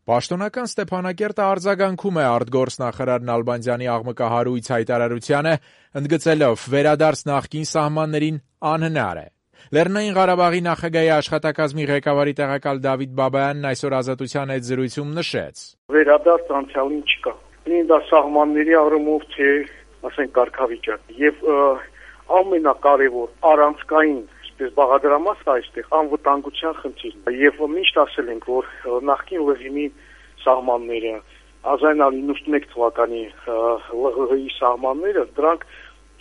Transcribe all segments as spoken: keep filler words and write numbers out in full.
Պաշտոնական Ստեփանակերտը արձագանքում է արտգործնախարար Նալբանդյանի աղմկահարույց հայտարարությանը, ընդգծելով վերադարձ նախկին սահմաններին անհնար է։ Լեռնային Ղարաբաղի նախագահի աշխատակազմի ղեկավարի տեղակալ Դավիթ Բաբայանն այսօր Ազատության հետ զրույցում նշեց. Վերադարձ անցյալին չկա։ Ինձ դա սահմանների առումով թե, ասենք, կարգավիճակ եւ ամենակարևոր առանցքային այսպես բաղադրամասը այստեղ անվտանգության խնդիրն է եւ միշտ ասել ենք, որ նախկին ռեժիմի սահմանները հազար իննսուն իննսունմեկ թվականի Л Ղ Ղ-ի սահմանները դրանք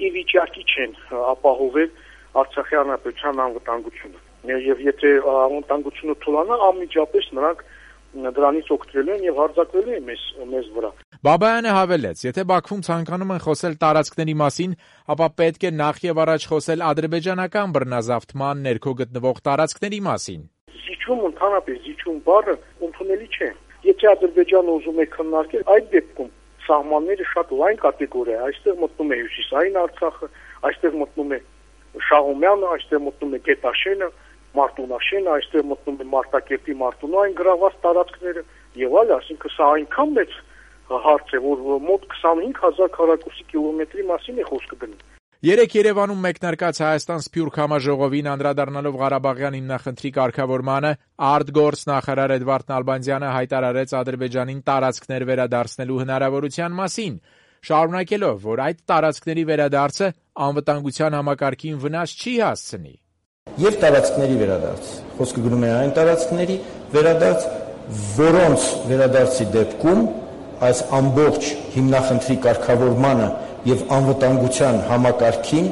ի վիճակի չեն ապահովել Արցախի հանրապետության անվտանգությունը եւ եթե անվտանգությունը թուլանա անմիջապես նրանք դրանից օգտվելու են եւ հարձակվելու են մեզ մեզ վրա։ Բաբայանը հավելեց, եթե Բաքվում ցանկանում են խոսել տարածքների մասին, ապա պետք է նախ եւ առաջ խոսել ադրբեջանական բռնազավթման ներքո գտնվող տարածքների մասին։ Զիջում ընդհանրապես զիջում բառը ընդունելի չէ։ Եթե Ադրբեջանը ուզում է քննարկել, այդ դեպքում սահմանները շատ լայն կատեգորիա է, այստեղ մտնում է Հյուսիսային Արցախը, այստեղ մտնում է Շահումյանը, այստեղ մտնում է Գետաշենը, Մարտունաշենը, այստեղ մտնում է Մարտակերտի Մարտունային գրաված տարածքները եւ այլ, այսինքն սա այնքան մեծ հարց է, որ մոտ քսանհինգ հազար քառակուսի կիլոմետրի մասին է խոսքը գնում։ Երեկ Երևանում մեկնարկած Հայաստան-Սփյուռք համաժողովին անդրադառնալով Ղարաբաղյան հիմնախնդրի կարգավորմանը, արտգործնախարար Էդվարդ Նալբանդյանը հայտարարեց Ադրբեջանին տարածքներ վերադարձնելու հնարավորության մասին, շարունակելով, որ այդ տարածքների վերադարձը անվտանգության համակարգին վնաս չի հասցնի։ Եվ տարածքների վերադարձ։ Խոսքը գնում է այն տարածքների վերադարձ, որոնց վերադարձի դեպքում այս ամբողջ հիմնախնդրի կարգավորմանը եւ անվտանգության համակարգին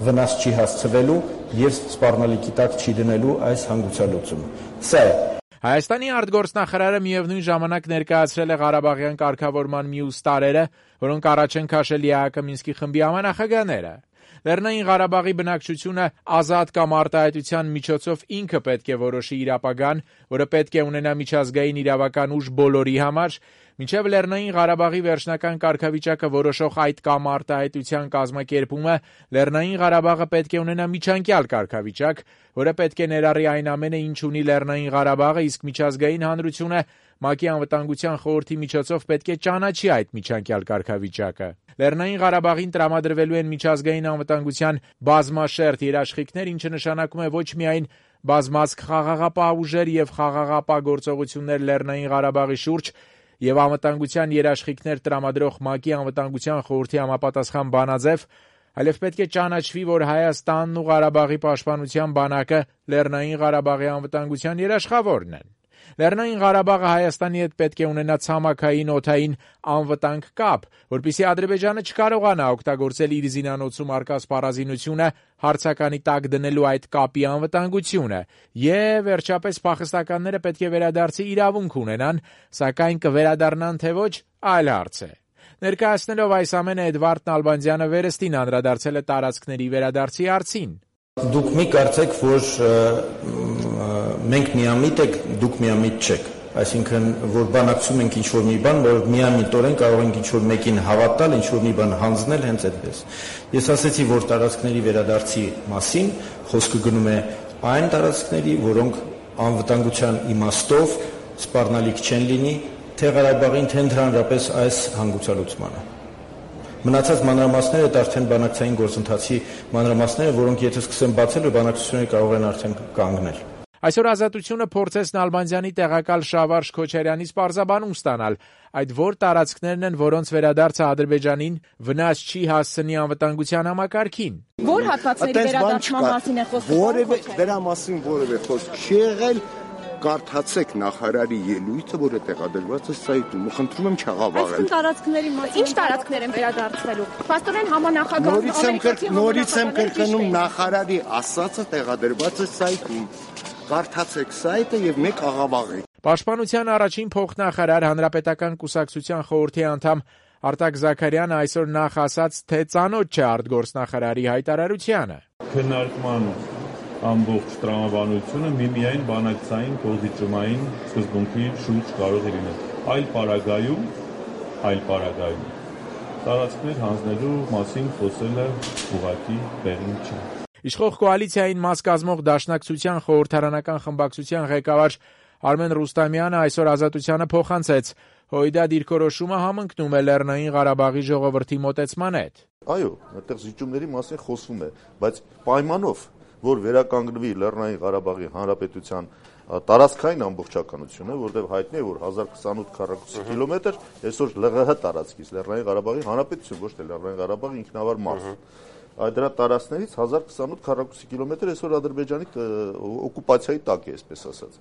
վնաս չի հասցվելու եւ սպառնալիքի տակ չի դնելու այս հանգուցալուծումը։ Սա է։ Հայաստանի արտգործնախարարը միևնույն ժամանակ ներկայացրել է Ղարաբաղյան կարգավորման մյուս տարրերը, որոնք առաջ են քաշել Է Ա Հ Կ Մինսկի խմբի համանախագահները։ Լեռնային Ղարաբաղի բնակչությունը ազատ կամ արտահայտության միջոցով ինքը պետք է որոշի իր ապագան, որը պետք է ունենա միջազգային իրավական ուժ բոլորի համար, մինչև Լեռնային Ղարաբաղի վերջնական կարգավիճակը որոշող այդ կամ արտահայտության կազմակերպումը, Լեռնային Ղարաբաղը պետք է ունենա միջանկյալ կարգավիճակ, որը պետք է ներառի այն ամենը, ինչ ունի Լեռնային Ղարաբաղը, իսկ միջազգային հանրությունը ՄԱԿ-ի անվտանգության խորհրդի միջոցով պետք է ճանաչի այդ միջանկյալ կարգավիճակը։ Լեռնային Ղարաբաղին տրամադրվելու են միջազգային անվտանգության բազմաշերտ երաշխիքներ, ինչը նշանակում է ոչ միայն բազմազգ խաղաղապահ ուժեր եւ խաղաղապահ գործողություններ Լեռնային Ղարաբաղի շուրջ եւ անվտանգության երաշխիքներ տրամադրող ՄԱԿ-ի անվտանգության խորհրդի համապատասխան բանաձև, այլև պետք է ճանաչվի, որ Հայաստանն ու Ղարաբաղի պաշտպանության բանակը Լեռնային Ղարաբաղի անվտանգության երաշխավորն են։ Լեռնային Ղարաբաղը Հայաստանի հետ պետք է ունենա ցամաքային օդային անվտանգ կապ, որպեսզի Ադրբեջանը չկարողանա օգտագործել իր զինանոցում առկա սպառազինությունը հարցականի տակ դնելու այդ կապի անվտանգությունը, եւ վերջապես փախստականները պետք է վերադարձի իրավունք ունենան, սակայն կվերադառնան թե ոչ, այլ հարց է։ Ներկայացնելով այս ամենը Էդվարդ Նալբանդյանը վերստին անդրադարձել է տարածքների վերադարձի հարցին։ Դուք մի կարծեք, որ մենք միամիտ եք, դուք միամիտ չեք։ Այսինքն, որ բանակցում ենք ինչ-որ մի բան, որ միամիտորեն կարող ենք ինչ-որ մեկին հավատալ, ինչ-որ մի բան հանձնել, հենց այդպես։ Ես ասեցի, որ տարածքների վերադարձի մասին խոսքը գնում է այն տարածքների, որոնք անվտանգության իմաստով սպառնալիք չեն լինի թե Ղարաբաղին, թե ընդհանրապես այս հանգուցալուծմանը։ Մնացած մանրամասները դա արդեն բանակցային գործընթացի մանրամասները, որոնք եթե սկսեն բացել, բանակցությունները կարող են արդեն կանգնել։ Այսօր Ազատությունը փորձեց Նալբանդյանի տեղակալ Շավարժ Քոչարյանից պարզաբանում ստանալ, այդ որ տարածքներն են, որոնց վերադարձը Ադրբեջանին վնաս չի հասցնի անվտանգության համակարգին։ Որ հատվածների վերադարձման մասին է խոսքը։ Որևէ դրա մասին որևէ խոսք չի եղել։ Կարդացեք նախարարի ելույթը, որը տեղադրված է սայթում։ Խնդրում եմ չաղավաղել։ Այս տարածքների մասին ինչ տարածքներ են վերադարձվելու։ Պաստորեն համանախագահ նորից եմ կրկնում նախարարի ասածը տեղադրված է սայթում։ Կարդացեք սայթը եւ մեկ աղավաղեք։ Պաշտպանության առաջին փոխնախարար Հանրապետական կուսակցության խորհրդի անդամ Արտակ Զաքարյանը այսօր նախ ասաց, թե ծանոթ չէ արտգործնախարարի հայտարարությանը։ Քննարկման ամբողջ տրամաբանությունը միմիայն բանակցային կողմիջումային սկզբունքի շուրջ կարող է լինել։ Այլ պարագայում, այլ պարագայում տարածքներ հանձնելու մասին խոսելը ուղղակի բերին չէ։ Իշխող կոալիցիային մաս կազմող Դաշնակցության խորհրդարանական խմբակցության ղեկավար Արմեն Ռուստամյանը այսօր Ազատությանը փոխանցեց. Հույդա դիրքորոշումը համընկնում է Լեռնային Ղարաբաղի ժողովրդի մոտեցման հետ։ Այո, այդտեղ զիջումների մասին խոսվում է, բայց պայմանով, որ վերականգնվի Լեռնային Ղարաբաղի Հանրապետության տարածքային ամբողջականությունը, որտեղ հայտնի է, որ հազար քսանութ քառակուսի կիլոմետր այսօր ԼՂՀ տարածքից Լեռնային Ղարաբաղի Հանրապետություն, ոչ թե Լեռնային Ղարաբաղի ինքնավար մարզ։ Այդ դրա տարածքներից հազար քսանութ քառակուսի կիլոմետր այսօր Ադրբեջանի օկուպացիայի տակ է, այսպես ասած։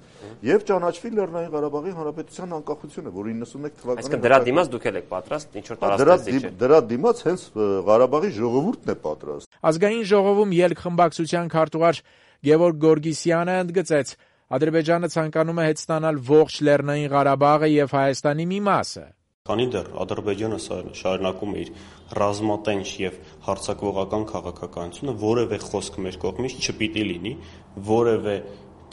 Եվ ճանաչվի Լեռնային Ղարաբաղի Հանրապետության անկախությունը, որ իննսունմեկ թվականին։ Այսինքն դրա դիմաց դուք եք պատրաստ ինչ որ տարածքից։ Դրա դիմաց հենց Ղարաբաղի ժողովուրդն է պատրաստ։ Ազգային ժողովում ելք խմբակցության քարտուղար Գևորգ Գորգիսյանը ընդգծեց. Ադրբեջանը ցանկանում է հետ ստանալ ողջ Լեռնային Ղարաբաղը եւ Հայաստանի մի մասը։ Քանի դեռ Ադրբեջանը շարունակում է իր ռազմատենչ եւ հարձակողական քաղաքականությունը, որևէ խոսք մեր կողմից չպիտի լինի որևէ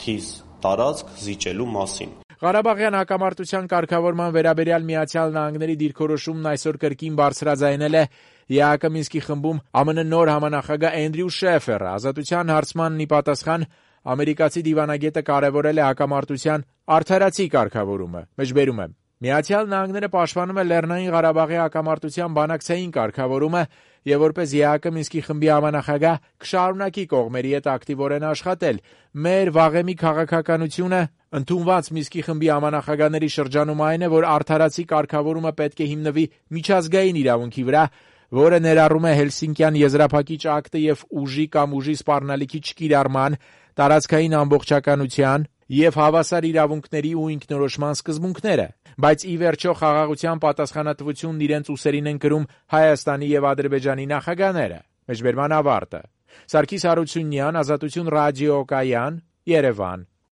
թիզ տարածք զիջելու մասին։ Ղարաբաղյան հակամարտության կարգավորման վերաբերյալ Միացյալ Նահանգների դիրքորոշումն այսօր կրկին բարձրաձայնել է ԵԱՀԿ Մինսկի խմբում ԱՄՆ նոր համանախագահ Էնդրյու Շեֆերը։ Ազատության հարցմանն ի պատասխան ամերիկացի դիվանագետը կարևորել է հակամարտության արդարացի կարգավորումը։ Մեջբերում է. Միացյալ Նահանգները պաշտպանում է Լեռնային Ղարաբաղի հակամարտության բանակցային կարգավորումը եւ որպես ԵԱՀԿ Մինսկի խմբի համանախագահ կշարունակի կողմերի հետ ակտիվորեն աշխատել։ Մեր վաղեմի քաղաքականությունը ընդունված Մինսկի խմբի համանախագահների շրջանում այն է, որ արդարացի կարգավորումը պետք է հիմնվի միջազգային իրավունքի վրա, որը ներառում է Հելսինկյան եզրափակիչ ակտը եւ ուժի կամ ուժի սպառնալիքի չկիրառման, տարածքային ամբողջականության եւ հավասար իրավունքների ու ինքնորոշման սկզբունքները, բայց ի վերջո խաղաղության պատասխանատվությունն իրենց ուսերին են կրում Հայաստանի եւ Ադրբեջանի նախագահները։ Մեջբերման ավարտը։ Սարգիս Հարությունյան, Ազատություն ռադիոկայան, Երևան։